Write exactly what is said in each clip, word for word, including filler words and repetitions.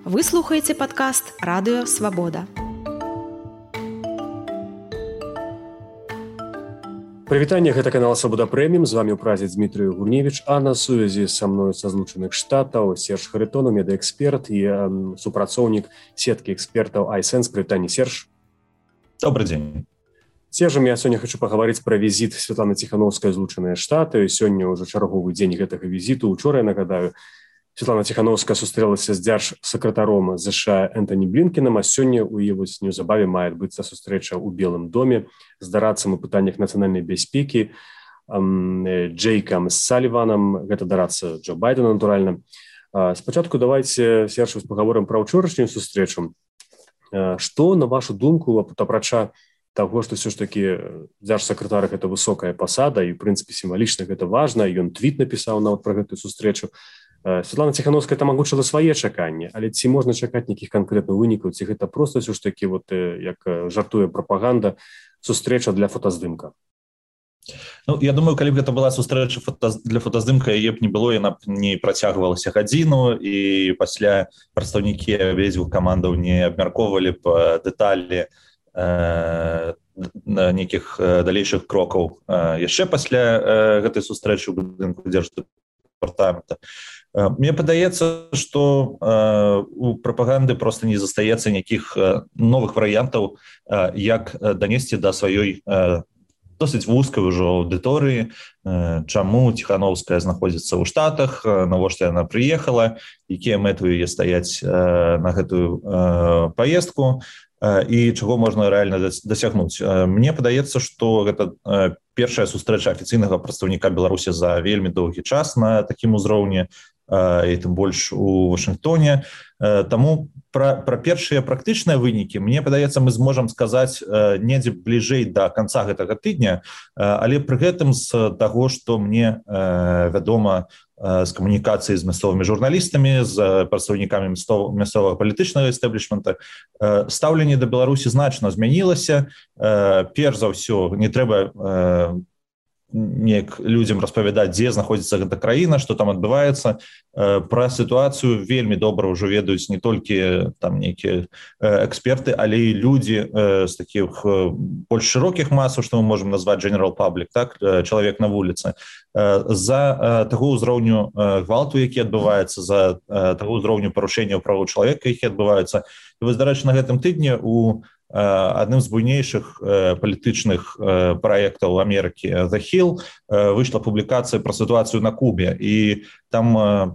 Вы слухаеце падкаст «Радыё Свабода». Прывітанне, гэта канал «Свабода Прэміум». З вами ў празе Дмітрий Гурневич, а на сувязі са мною са Злучаных Штатаў Серж Харитонов, медэксперт і э, супрацоўнік сеткі экспертаў iSense. Прывітанне, Серж. Добрый день. Сержам, я сёння хочу паговорыць пра візіт Святланы Ціхановскай ў Злучаныя Штаты. Сёння ўжо чарговы дзень гэтага візіту. Учора, я нагадаю, Святлана Ціхановская сустрэлася з дзяржсакратаром США Энтоні Блінкенам, а сёння ў яе вось неўзабаве мае адбыцца сустрэча ў Белым доме з дарадцам у пытаннях нацыянальнай бяспекі Джейкам Саліванам. Гэта дарацца Джо Байдена, натуральна. Спачатку давайте, Серж, паговорым пра ўчорашнюю сустрэчу. Што, на вашу думку, апрача таго, што ўсё ж такі дзяржсакратар гэта высокая пасада, і, ў прынцыпе, сімвалічна гэта важна, ён твіт напісаў нават пра гэтую сустрэчу. Святлана Ціхановская там агучыла свае чаканні, але ці можна чакаць нейкіх канкрэтных вынікаў, ці гэта проста ўсё ж такі, вот, як жартуе прапаганда, сустрэча для фотаздымка? Ну, я думаю, калі б гэта была сустрэча фото, для фотаздымка, яе б не было, яна б не працягвалася гадзіну, і пасля прадстаўнікі абедзвюх камандаў не абмяркоўвалі б дэталі э, нейкіх далейшых крокаў. Яшчэ пасля гэтай сустрэчы ў будынку дзярждэпартамента. Мне падаецца, што э, у прапаганды просто не застаецца нейкіх э, новых варыянтаў, э, як данесці да сваёй э, досыць вузкай ужо аўдыторыі, э, чаму Ціхановская знаходзіцца ў Штатах, э, навошта яна прыехала, якія мэты ў яе стаяць э, на гэтую э, паездку, э, і чаго можна рэальна дасягнуць. Э, мне падаецца, што гэта э, першая сустрэча афіцыйнага прадстаўніка Беларусі за вельмі доўгі час на такім узроўні, і тым больш у Вашынгтоне. Таму пра, пра першыя практычныя вынікі, мне падаецца, мы зможам сказаць недзе бліжэй да канца гэтага тыдня, але пры гэтым з таго, што мне вядома з камунікацыі з мясцовымі журналістамі, з прадстаўнікамі мясцовага палітычнага эстаблішмента, стаўленне да Беларусі значна змянілася. Перш за ўсё, не трэба неяк людзям распавядаць, дзе знаходзіцца гэта краіна, што там адбываецца. Пра сітуацыю вельмі добра ўжо ведаюць не толькі там нейкія эксперты, але і людзі з такіх больш шырокіх масаў, што мы можам назваць general public, так, чалавек на вуліцы. За таго ўзроўню гвалту, які адбываецца, за таго ўзроўню парушэнняў правоў чалавека, які адбываюцца. І вось, дарэчы, на гэтым тыдні у адным з буйнейшых э, палітычных э, праектаў Амерыкі The Hill э, выйшла публікацыя пра сітуацыю на Кубе, і там э,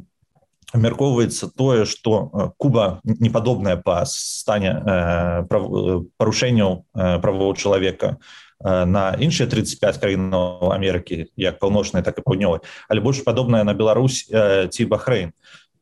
абмяркоўваецца тое, што Куба не падобная па стане э, прав... парушэнняў э, правоў чалавека э, на іншыя тридцать пять краінаў Амерыкі, як паўночнай, так і паўднёвай, але больш падобная на Беларусь э, ці Бахрэйн.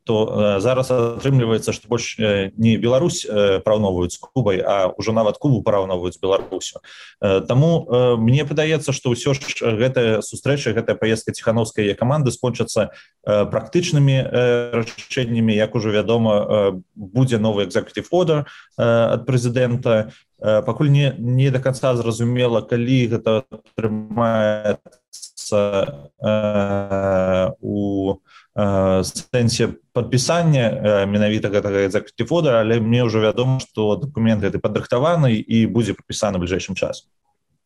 То э, зараз атрымліваецца, што больш э, не Беларусь э, параўноўваюць з Кубай, а ўжо нават Кубу параўноўваюць з Беларусю. Э, таму э, мне падаецца, што ўсё ж гэтая сустрэча, гэтая паездка Ціхановскай і каманды скончацца э, практычнымі э, рашэннямі. Як ужо вядома, э, будзе новы executive order э, ад прэзідэнта. Э, пакуль не, не да канца зразумела, калі гэта атрымаецца э, у сэнсе падпісання менавіта гэтага executive order, але мне ўжо вядома, што дакумент гэты падрыхтаваны і будзе падпісаны бліжэйшым часам.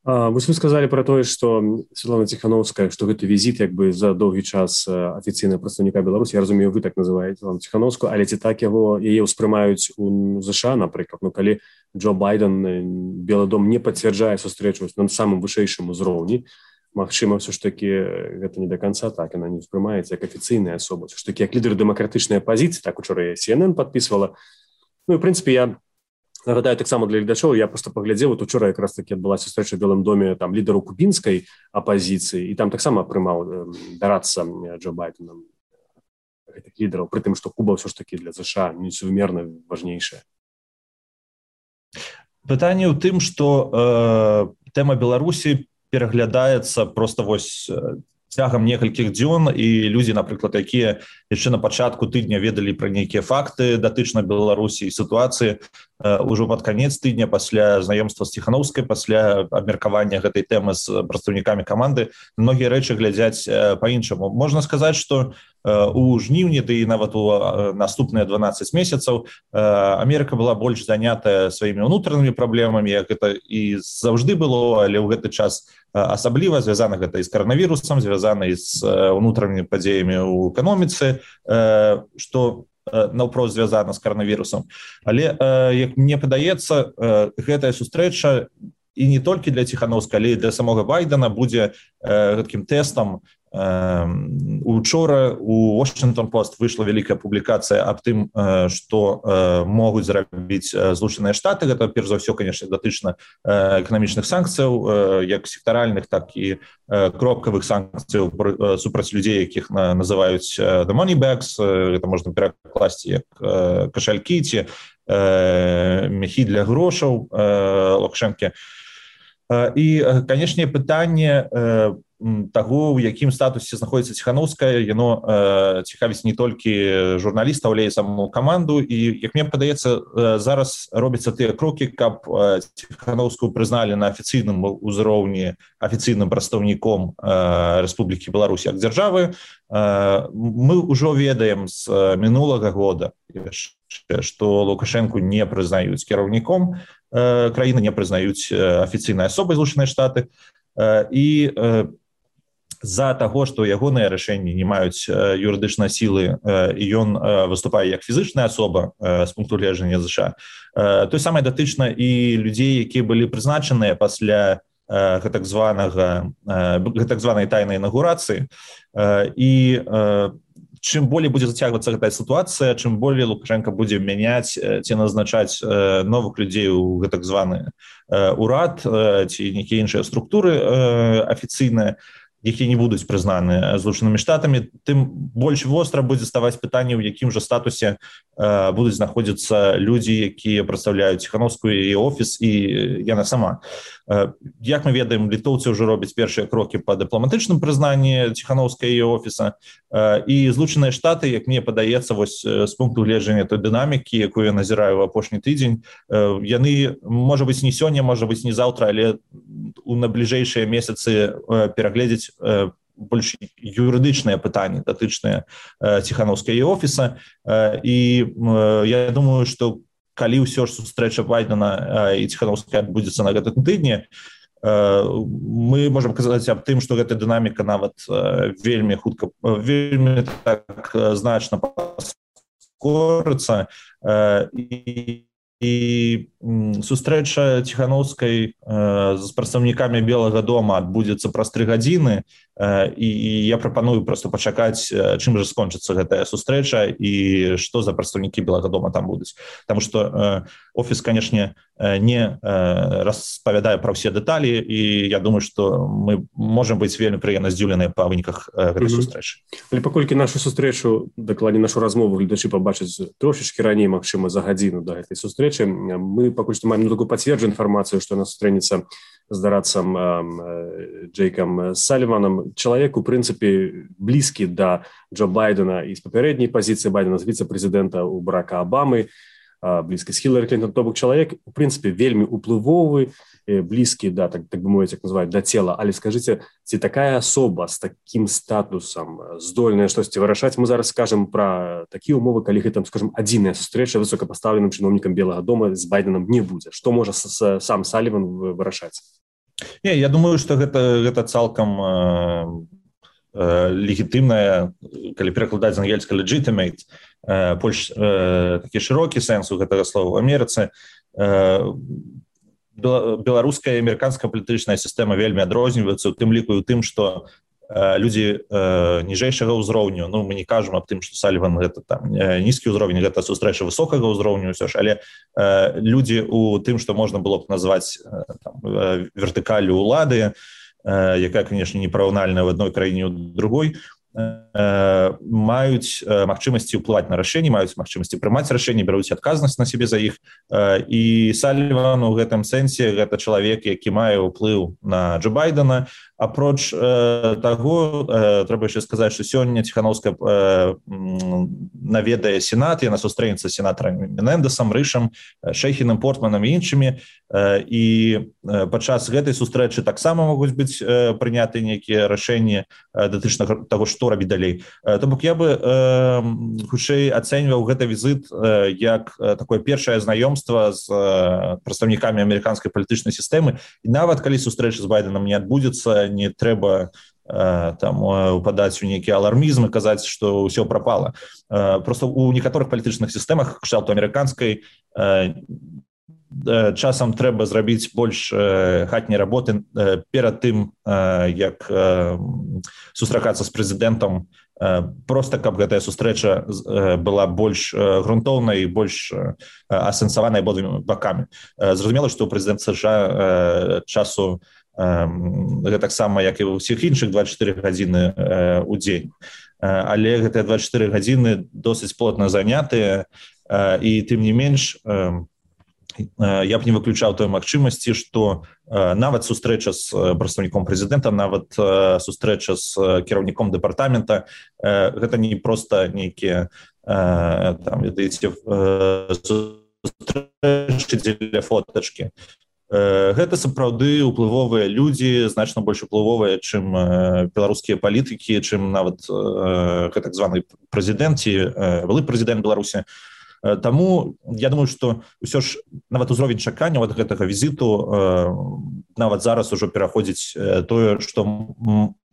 Вось вы сказалі пра тое, што Святлана Ціхановская, што гэты візіт як бы за доўгі час афіцыйнага прадстаўніка Беларусі, я разумею, вы так называеце Святлану Ціхановскую, але ці так яго яе ўспрымаюць у ЗША, напрыклад, ну калі Джо Байден, Белы дом не пацвярджае сустрэчу на самым вышэйшым узроўні, магчыма, ўсё ж такі гэта не да канца так, яна не ўспрымаецца як афіцыйная асоба. Ўсё ж такі як лідар дэмакратычнай апазіцыі, так учора Си Эн Эн падпісвала. Ну і, в прынцыпе, я нагадаю таксама для гледачоў, я проста паглядзеў, вот учора якраз такі адбылася сустрэча ў Белым доме там лідару кубінскай апазіцыі, і там таксама прымаў дарацца Джо Байденам гэтых лідараў, пры тым, што Куба ўсё ж такі для ЗША несумерна важнейшая. Пытанне ў тым, што э, тэма Беларусі пераглядаецца просто вось цягам некалькіх дзён, і людзі, напрыклад, якія яшчэ на пачатку тыдня ведалі пра нейкія факты датычна Беларусі і сітуацыі, ўжо пад канец тыдня пасля знаёмства з Ціхановскай, пасля абмеркавання гэтай тэмы з прадстаўнікамі каманды, многія рэчы глядзяць па-іншаму. Можна сказаць, што у жніўні, ды і нават у наступныя дванаццаць месяцаў Амерыка была больш занятая сваімі ўнутранымі праблемамі, як это і заўжды было, але ў гэты час асабліва звязана гэта і з каранавірусам, звязана і з унутранымі падзеямі ў эканоміцы, што наўпрост звязана з каранавірусам. Але, як мне падаецца, гэтая сустрэча і не толькі для Ціханаўскага, але і для самога Байдена будзе гэткім тэстам. Учора у Washington Post выйшла вялікая публікацыя аб тым, што могуць зрабіць Злучаныя Штаты. Гэта, перш за ўсё, конечно, датычна эканамічных санкцыяў, як сектаральных, так і кропкавых санкцыяў супраць людзей, якіх называюць the money bags. Гэта можна перакласці як кашалькі ці мяхі для грошаў Лукашэнкі. І, канешне, пытанне таго, у якім статусе знаходзіцца Ціханаўская, яно э, цікавіць не толькі журналістаў, але і саму каманду. І, як мне падаецца, э, зараз робяцца тыя крокі, каб э, Ціханаўскую прызналі на афіцыйным узроўні афіцыйным прадстаўніком э, Рэспублікі Беларусь як дзяржавы. Э, мы ўжо ведаем з мінулага года, што Лукашэнку не прызнаюць кіраўніком э, краіны, не прызнаюць афіцыйнай асобай Злучаныя Штаты. Э, і э, з-за таго, што ягоныя рашэнні не маюць юрыдычнай сілы і ён выступае як фізычная асоба з пункту гледжання ЗША, той самае датычна і людзей, якія былі прызначаныя пасля гэтак званага гэтак званай тайнай інаўгурацыі. І чым болей будзе зацягвацца гэтая сітуацыя, чым болей Лукашенко будзе мяняць ці назначаць новых людзей у гэтак званы урад ці нейкія іншыя структуры афіцыйныя, якія не будуць прызнаны Злучанымі Штатамі, тым больш востра будзе ставаць пытанне, у якім жа статусе э, будуць знаходзіцца людзі, якія прадстаўляюць Ціханаўскую і офіс, і яна сама. Э, як мы ведаем, літоўцы ўжо робяць першыя крокі па дыпламатычным прызнанні Ціханаўскай і офіса, э, і Злучаныя Штаты, як мне падаецца, вось з пункту гледжання той дынамікі, якую я назіраю ў апошні тыдзень, э, яны, можа быць, не сёння, можа быць, не заўтра, але у набліжэйшыя месяцы э, перагледзець больш юрыдычныя пытанні, датычныя Ціханаўскай і офіса. І я думаю, што калі ўсё ж сустрэча Байдена і Ціханаўскай адбудзецца на гэтым тыдні, мы можам казаць аб тым, што гэта дынаміка нават вельмі хутка, вельмі так значна паскорыцца. І І сустрэча Ціханаўскай э, з прадстаўнікамі Белага дома адбудзецца праз тры гадзіны, э, і, і я прапаную проста пачакаць, чым жа скончыцца гэтая сустрэча і што за прадстаўнікі Белага дома там будуць. Таму што э, офіс, канешне, не э, распавядае пра ўсе дэталі, і я думаю, што мы можам быць вельмі прыемна здзіўленыя па выніках э, гэтай mm-hmm. сустрэчы. Але паколькі нашу сустрэчу, дакладней нашу размову гледачы пабачаць трошачкі раней, магчыма, за гадзіну да гэтай сустрэчы, мы пакуль што маем такую пацверджаную інфармацыю, што яна сустрэнецца з дарадцам э, Джейкам Саліванам. Чалавек, у прынцыпе, блізкі да Джо Байдена і з папярэдняй пазіцыі Байдена, з віцэ-прэзідэнта у Барака Абамы, блізкі з Хілары Клінтон, то бок чалавек, у прынцыпе, вельмі уплывовы, блізкі, да, так, так бы мовіць, як называюць, да цела. Але скажыце, ці такая асоба з такім статусам здольная штосьці вырашаць? Мы зараз скажам пра такія умовы, калі гэта, скажам, адзіная сустрэча высокапастаўленым чыноўнікам Белага дома з Байденам не будзе. Што можа сам Саліван вырашаць? Не, я думаю, што гэта, гэта цалкам легітымная, калі перакладаць з ангельскага legitimate, больш такі шырокі сэнс у гэтага слова. В Амерыцы беларуская і амерыканская палітычная сістэма вельмі адрозніваюцца, у тым ліку і ў тым, што людзі ніжэйшага ўзроўню, ну, мы не кажам аб тым, што Саліван гэта там нізкі ўзровень, гэта сустрэча высокага ўзроўню ўсё ж, але людзі у тым, што можна было б назваць там, вертыкаллю ўлады, якая, конечно, непараўнальная в адной краіне ў другой, маюць магчымасці ўплываць на рашэнні, маюць магчымасці прымаць рашэнні, бяруць адказнасць на сябе за іх. І Саліван у гэтым сэнсе гэта чалавек, які мае ўплыў на Джо Байдена, апроч э, таго э, трэба яшчэ сказаць, што сёння Ціхановская э, наведае сенат, яна сустрэнецца з сенатарамі Менендесам, Рышам, Шэйхінам, Портманам і іншымі, э, і э, падчас гэтай сустрэчы таксама могуць быць э, прыняты нейкія рашэнні э, датычна таго, што рабіць далей. Э, То бок я бы э, хутчэй ацэньваў гэты візіт э, як э, такое першае знаёмства з э, прадстаўнікамі амерыканскай палітычнай сістэмы, і нават калі сустрэча з Байденам не адбудзецца, не трэба э, там упадаць у нейкі алармізм і казаць, што ўсё прапала. Э, просто у некаторых палітычных сістэмах, кшталту амерыканскай, э, часам трэба зрабіць больш э, хатняй работы э, перад тым, э, як э, сустракацца з прэзідэнтам, э, просто каб гэтая сустрэча э, была больш э, грунтоўнай і больш э, асэнсаванай абодвумі бакамі. Э, зразумела, што прэзідэнт США э, часу гэтаксама, як і ў ўсіх іншых двадццаць чатыры гадзіны э, у дзень. Э, але гэтыя двадццаць чатыры гадзіны досыць плотна занятыя, э, і тым не менш э, э, я б не выключаў той магчымасці, што э, нават сустрэча з прадстаўніком прэзідэнта, нават э, сустрэча з кіраўніком дэпартамента, э, гэта не проста нейкія э, там, ведаеце, э, сустрэчы дзеля фотачкі. Гэта сапраўды ўплывовыя людзі, значна больш уплывовыя, чым беларускія палітыкі, чым нават гэтак званы прэзідэнт ці былы прэзідэнт Беларусі. Таму я думаю, што ўсё ж нават узровень чакання ад гэтага візіту нават зараз ужо пераходзіць тое, што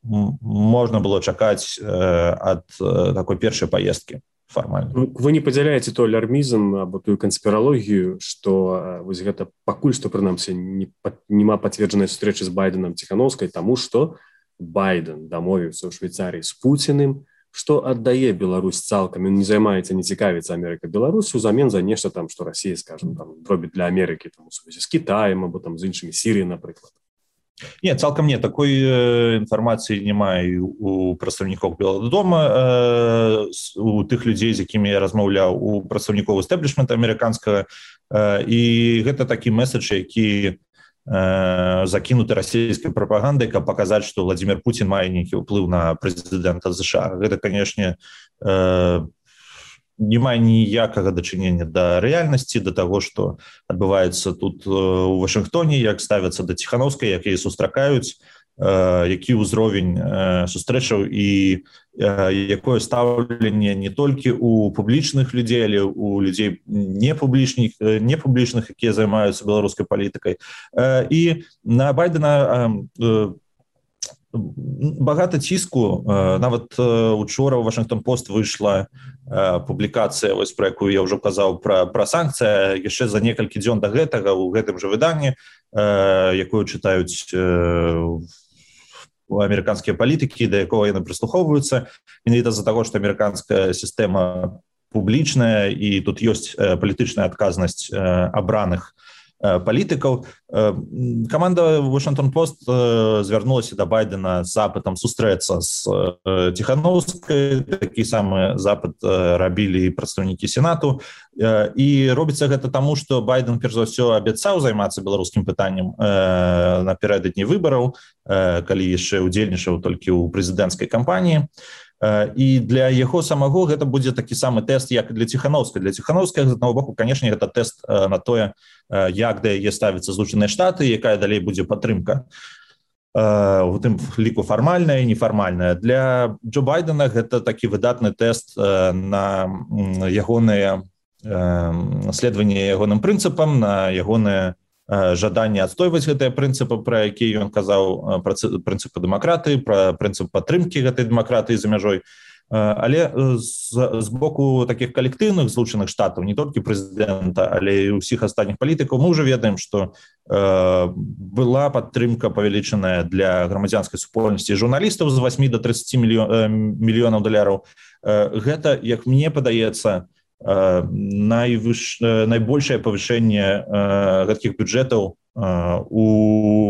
можна было чакаць ад такой першай паездкі. Формально. Вы не падзяляеце той алярмізм або тую канспіралогію, што вось гэта пакуль што прынамсі не, нема пацверджанай сустрэчы з Байденам Ціхановскай, таму што Байден дамовіўся ў Швейцарыі з Пуціным, што аддае Беларусь цалкам, ён не займаецца, не цікавіцца Амерыка Беларусю ўзамен за нешта там, што Расія, скажем, там робіць для Амерыкі там у сувязі з Кітаем або там з іншымі, Сіріяй, напрыклад. Не, цалкам не, такой э, інфармацыі няма і у прадстаўнікоў Белага дома, э, у тых людзей, з якімі я размаўляў, у прадстаўнікоў эстэблішмента амерыканскага, э, і гэта такі месседж, які э, закінуты расійскай прапагандай, каб паказаць, што Владзімір Пуцін мае нейкі ўплыў на прэзідэнта США. Гэта, канешне, э, не мае ніякага дачынення да рэальнасці, да таго, што адбываецца тут у Вашынгтоне, як ставяцца да Ціхановскай, як яе сустракаюць, які ўзровень сустрэчаў і якое стаўленне не толькі у публічных людзей, але у людзей непублічных, непублічных, якія займаюцца беларускай палітыкай. І на Байдена багата ціску. Нават учора ў Вашынгтон-Пост выйшла публікацыя, вось пра якую я ўжо казаў, пра, пра санкцыя яшчэ за некалькі дзён да гэтага ў гэтым жа выданні, якую чытаюць амерыканскія палітыкі, да якого яны прыслухоўваюцца. Менавіта з-за таго, што амерыканская сістэма публічная і тут ёсць палітычная адказнасць абраных палітыкаў. Каманда Вашынгтон-Пост звярнулася да Байдена з запытам сустрэцца з Ціхановскай. Такі самы запыт рабілі і прадстаўнікі Сенату. І робіцца гэта таму, што Байден, перш за ўсё, абяцаў займацца беларускім пытаннем напярэдадні выбараў, калі яшчэ удзельнічаў толькі ў прэзідэнцкай кампаніі. І для яго самого гэта будзе такі самы тэст, як і для Ціхановскай. Для Ціхановскай, з аднаго боку, канешне, гэта тэст на тое, як да яе ставяцца Злучаныя Штаты, якая далей будзе падтрымка. У тым ліку фармальная і нефармальная. Для Джо Байдена гэта такі выдатны тэст на ягонае следаванне ягоным прынцыпам, на ягонае жаданне адстойваць гэтыя прынцыпы, пра якія ён казаў, пра прынцыпы дэмакратыі, пра прынцып падтрымкі гэтай дэмакратыі за мяжой. Але з, з боку такіх калектыўных Злучаных Штатаў, не толькі прэзідэнта, але і ўсіх астатніх палітыкаў, мы ўжо ведаем, што э, была падтрымка павялічаная для грамадзянскай супольнасці журналістаў з восьмі да трыццаці мільёнаў даляраў. Э, гэта, як мне падаецца, найвыш... найбольшае павышэнне гэткіх бюджэтаў у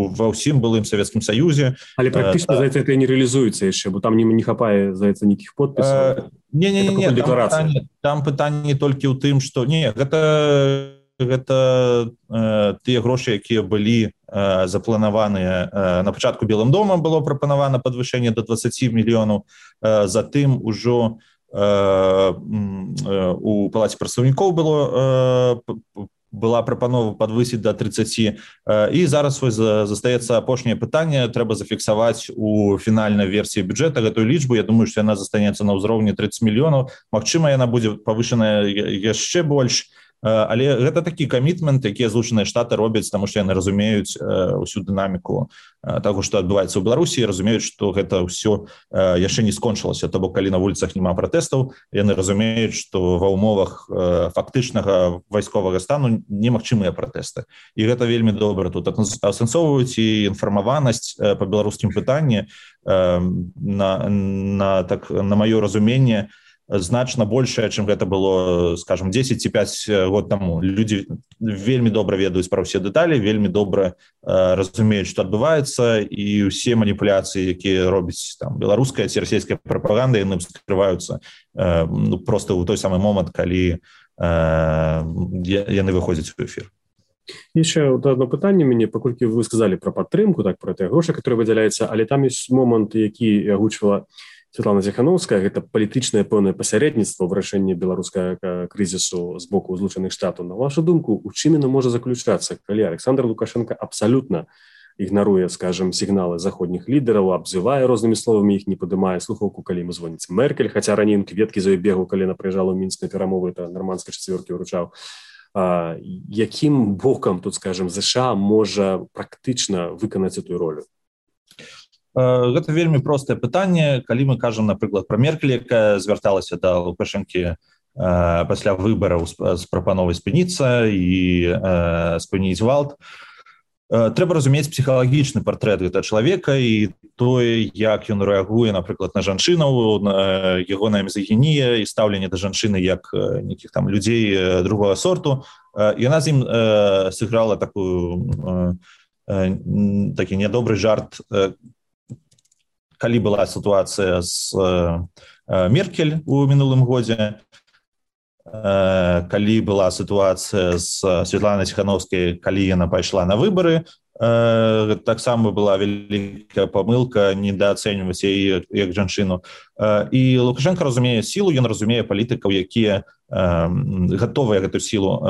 ва ўсім былым Савецкім Саюзе. Але практычна, та... здаецца, гэта не рэалізуецца яшчэ, бо там не, не хапае, здаецца, нейкіх подпісаў. Не-не-не, там пытанне, там пытанне толькі ў тым, што не, гэта гэта э, тыя грошы, якія былі запланаваныя на пачатку Белым домам было прапанавана падвышэнне до двадцать мільёнаў, затым ужо у палаце прадстаўнікоў было была прапанова падвысіць до тридцати, і зараз вось застаецца апошняе пытанне, трэба зафіксаваць у фінальнай версіі бюджэта гэтую лічбу. Я думаю, што яна застанецца на ўзроўні тридцать мільёнаў, магчыма, яна будзе павышаная яшчэ больш. Але гэта такі камітмент, якія Злучаныя Штаты робяць, таму што яны разумеюць усю дынаміку таго, што адбываецца ў Беларусі, разумеюць, што гэта ўсё яшчэ не скончылася. То бок, калі на вуліцах няма пратэстаў, яны разумеюць, што ва ўмовах фактычнага вайсковага стану немагчымыя пратэсты. І гэта вельмі добра тут асэнсоўваюць, і інфармаванасць па беларускім пытанні на, на, так, на маё разуменне значна большая, чым гэта было, скажем, десять ці пять год таму. Людзі вельмі добра ведаюць пра ўсе дэталі, вельмі добра э, разумеюць, што адбываецца, і ўсе маніпуляцыі, якія робіць там беларуская ці расійская прапаганда, яны скрываюцца э, ну, проста ў той самы момант, калі э, яны выходзяць у эфір. Яшчэ одно пытанне мяне, паколькі вы сказалі пра падтрымку, так, пра тыя грошы, которые выдзяляюцца, але там ёсць момант, які агучвала Святлана Ціхановская, гэта палітычнае пэўнае пасярэдніцтва ў вырашэнні беларускага крызісу з боку Злучаных Штатаў. На вашу думку, у чым яно можа заключацца, калі Александр Лукашенко абсалютна ігнаруе, скажем, сігналы заходніх лідараў, абзывае рознымі словамі, іх не падымае слухаўку, калі ему звоніць Меркель, хаця раней кветкі за ёй бегаў, калі яна прыязджала ў Мінск на перамовы, это нармандскай чацвёркі ўручаў. А, якім бокам тут, скажем, ЗША можа практычна выканаць эту ролю? Гэта вельмі простае пытанне. Калі мы кажам, напрыклад, пра Меркель, якая звярталася да Лукашэнкі пасля выбараў з прапановай спыніцца і спыніць гвалт, трэба разумець псіхалагічны партрэт гэтага чалавека і тое, як ён рэагуе, напрыклад, на жанчынаў, на ягоная мізагінія і стаўленне да жанчыны як нейкіх там людзей другога сорту. Яна з ім сыграла такую такі нядобры жарт, калі была сітуацыя з Меркель у мінулым годзе, калі была сітуацыя з Святланай Ціхановскай, калі яна пайшла на выбары, таксама была вялікая памылка недаацэньваць яе як жанчыну. І Лукашенко разумее сілу, ён разумее палітыкаў, якія гатовыя гэту сілу,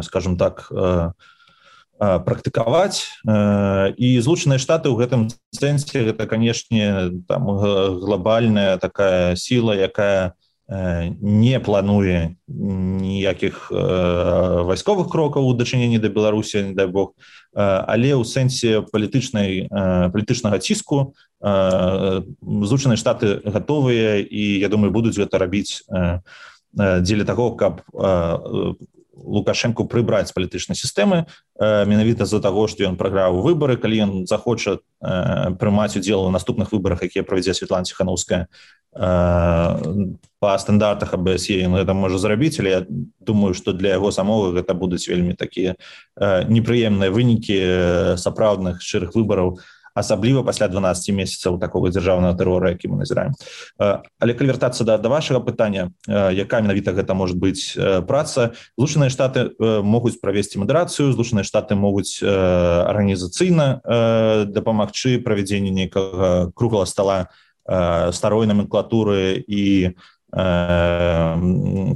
скажем так, практыкаваць, і Злучаныя Штаты ў гэтым сэнсе гэта, канешне, там глобальная такая сіла, якая не плануе ніякіх вайсковых крокаў у дачыненні да Беларусі, не дай Бог, але ў сэнсе палітычнай палітычнага ціску Злучаныя Штаты гатовыя, і я думаю, будуць гэта рабіць дзеля таго, каб Лукашенку прыбраць з палітычнай сістэмы, менавіта з-за таго, што ён прайграў выбары. Калі ён захоча прымаць удзел у наступных выбарах, якія правядзе Святлана Ціхановская, па стандартах а бэ эс е ён гэта можа зрабіць, але я думаю, што для яго самога гэта будуць вельмі такія непрыемныя вынікі сапраўдных шчырых выбараў, асабліва пасля дванаццаці месяцаў такога дзяржаўнага тэрора, які мы назіраем. Але калі вяртацца да, да вашага пытання, якая менавіта гэта можа быць праца, Злучаныя Штаты могуць правесці мадэрацыю, Злучаныя Штаты могуць арганізацыйна дапамагчы правядзенню нейкага круглага стала старой номенклатуры і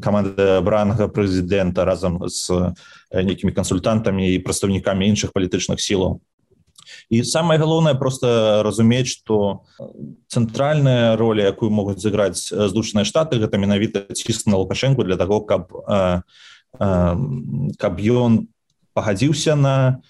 каманды абранага прэзідэнта разам з нейкімі кансультантамі і прадстаўнікамі іншых палітычных сілаў. І самае галоўнае просто разумець, што цэнтральная роля, якую могуць зыграць Злучаныя Штаты, гэта менавіта ціск на Лукашенку для таго, каб, каб ён пагадзіўся на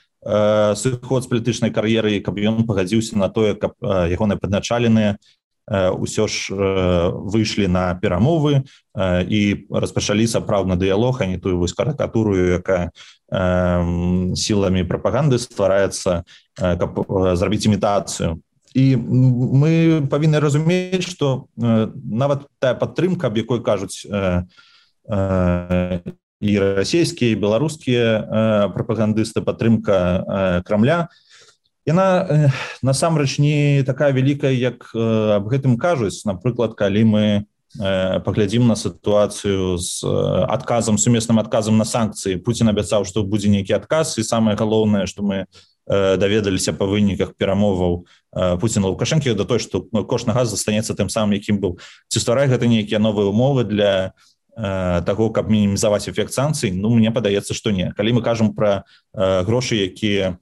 сыход з палітычнай кар'еры, каб ён пагадзіўся на тое, каб ягоныя падначаленыя ўсё ж выйшлі на перамовы і распачалі сапраўдны дыялог, а не тую вось карыкатуру, якая сіламі прапаганды ствараецца, каб зрабіць імітацыю. І мы павінны разумець, што нават тая падтрымка, аб якой кажуць і расійскія, і беларускія прапагандысты, падтрымка Крамля, яна насамрэч не такая вялікая, як аб гэтым кажуць. Напрыклад, калі мы паглядзім на сітуацыю з адказам, сумесным адказам на санкцыі. Пуцін абяцаў, што будзе нейкі адказ, і самае галоўнае, што мы даведаліся па выніках перамоваў Пуціна Лукашэнкі да той, што кошт на газ застанецца тым самым, якім быў. Ці стварае гэта нейкія новыя умовы для таго, каб мінімізаваць эфект санкцый? Ну, мне падаецца, што не. Калі мы кажам пра грошы, якія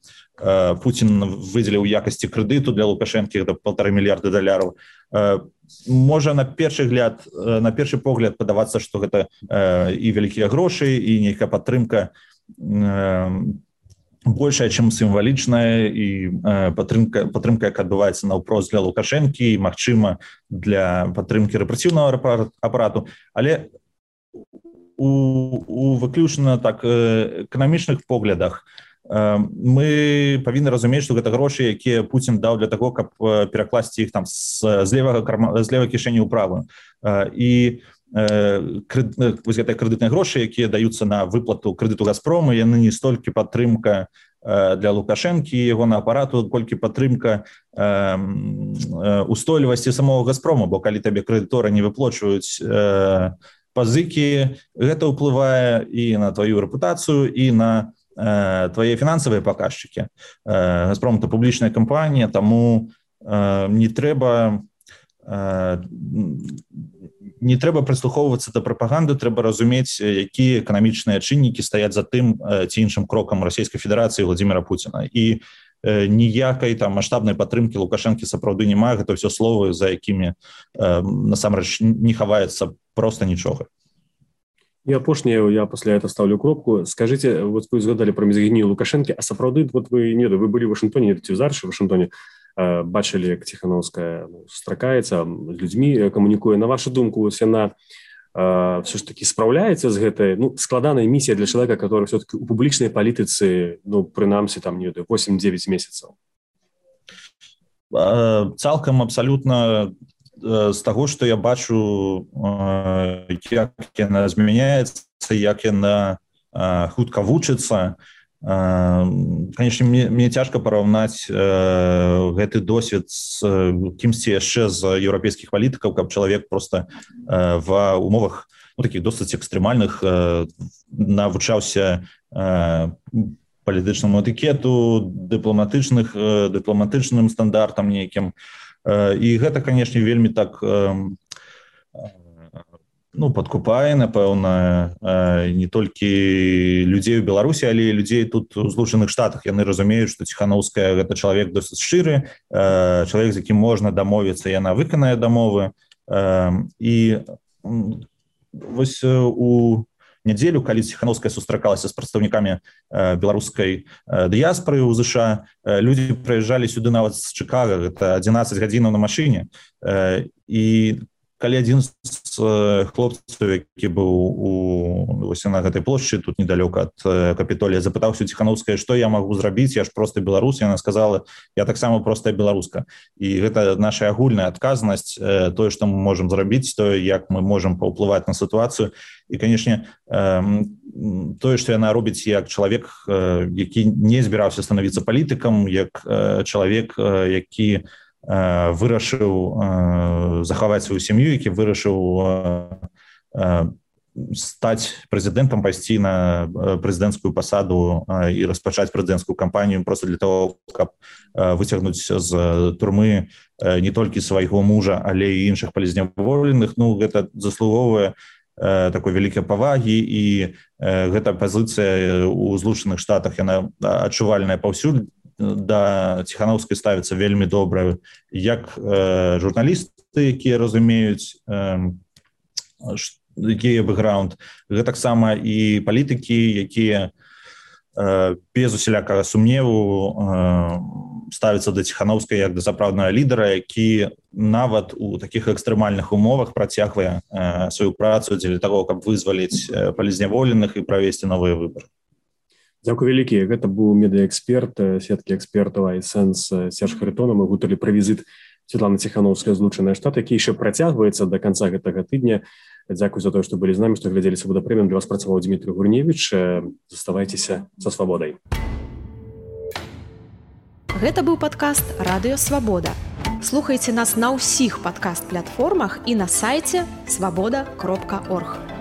Пуцін выдзеліў у якасці крэдыту для Лукашэнкі, гэта полтора мільярда даляраў, можа на першы гляд, на першы погляд падавацца, што гэта і вялікія грошы, і нейкая падтрымка большая, чым сімвалічная, і падтрымка, падтрымка, як адбываецца наўпрост для Лукашэнкі, і, магчыма, для падтрымкі рэпрэсіўнага апарату. Але у, у выключна так эканамічных поглядах мы павінны разумець, што гэта грошы, якія Пуцін даў для таго, каб перакласці іх там з, з левага карма, з левай кішэні ў правую. І вось гэтыя крэдытныя грошы, якія даюцца на выплату крэдыту Газпрому, яны не столькі падтрымка для Лукашэнкі і яго на апарату, колькі падтрымка устойлівасці самого Газпрому, бо калі табе крэдыторы не выплачваюць пазыкі, гэта ўплывае і на тваю рэпутацыю, і на твае фінансавыя паказчыкі. Газпром — это публічная кампанія, таму не трэба не трэба прыслухоўвацца да прапаганды, трэба разумець, якія эканамічныя чыннікі стаяць за тым ці іншым крокам Расійскай Федэрацыі Владзіміра Пуціна. І ніякай там маштабнай падтрымкі Лукашэнкі сапраўды няма, гэта ўсё словы, за якімі насамрэч не хаваецца проста нічога. И апошняе, я пасля этого ставлю кропку. Скажите, вот вы згадали про мізагінію Лукашэнкі, а сапраўды, вот вы, не, вы были в Вашингтоне, не ці зараз в Вашингтоне, э, бачили, як Ціхановская ну, сустракаецца, з людьми камунікуе. На вашу думку, ось яна э, все ж таки справляецца з гэтай, ну, складанай місіяй для человека, который все-таки у публічнай палітыцы, ну, прынамсі, там, не ведаю, восемь-девять месяцаў? Цалкам абсалютна з таго, што я бачу, як яна змяняецца, як яна хутка вучыцца. Канешне, мне, мне цяжка параўнаць гэты досвед з кімсьці яшчэ з еўрапейскіх палітыкаў, каб чалавек проста ва умовах ну, такіх досыць экстрэмальных навучаўся палітычнаму этыкету, дыпламатычных, дыпламатычным стандартам нейкім. І гэта, канешне, вельмі так ну, падкупае, напэўна, не толькі людзей у Беларусі, але і людзей тут у Злучаных Штатах. Яны разумеюць, што Ціхановская — гэта чалавек досыць шчыры, чалавек, з якім можна дамовіцца, яна выканае дамовы. І вось у нядзелю, калі Ціхановская сустракалася з прадстаўнікамі беларускай дыяспоры ў ЗША, людзі прыязджалі сюды нават з Чыкага, гэта адзінаццаць гадзінаў на машыне. І калі адзін з хлопцаў, які быў у, вось на гэтай плошчы, тут недалёка ад Капітолія, запытаўся Ціхановская, што я магу зрабіць, я ж проста беларус. Яна сказала, я таксама простая беларуска. І гэта наша агульная адказнасць, тое, што мы можам зрабіць, тое, як мы можам паўплываць на сітуацыю. І, канешне, тое, што яна робіць як чалавек, які не збіраўся станавіцца палітыкам, як чалавек, які вырашыў захаваць сваю сям'ю, які вырашыў стаць прэзідэнтам, пайсці на прэзідэнцкую пасаду і распачаць прэзідэнцкую кампанію проста для того, каб выцягнуць з турмы не толькі свайго мужа, але і іншых палізняволеных. Ну, гэта заслуговае такой вялікай павагі, і гэта пазіцыя ў Злучаных Штатах, яна адчувальная паўсюль. Да Ціхановскай ставіцца вельмі добра як э, журналісты, якія разумеюць э, якія бэкграунд, гэтаксама і палітыкі, якія э, без усялякага сумневу э, ставіцца да Ціхановскай як да сапраўднага лідара, які нават у такіх экстрэмальных умовах працягвае э, сваю працу дзеля таго, каб вызваліць э, палізняволеных і правесці новыя выбары. Дзякуй вялікі. Гэта быў медыаэксперт, сеткі экспертаў iSense Серж Харитонов. Мы гутарылі пра візіт Святланы Ціхановскай ў Злучаныя Штаты, які яшчэ працягваецца да канца гэтага тыдня. Дзякуй за тое, што былі з намі, што глядзелі «Свабода Прэміум». Для вас працаваў Дмітрий Гурневіч. Заставайцеся са свабодай. Гэта быў падкаст «Радыё Свабода». Слухайце нас на ўсіх падкаст-платформах і на сайце свабода кропка орг.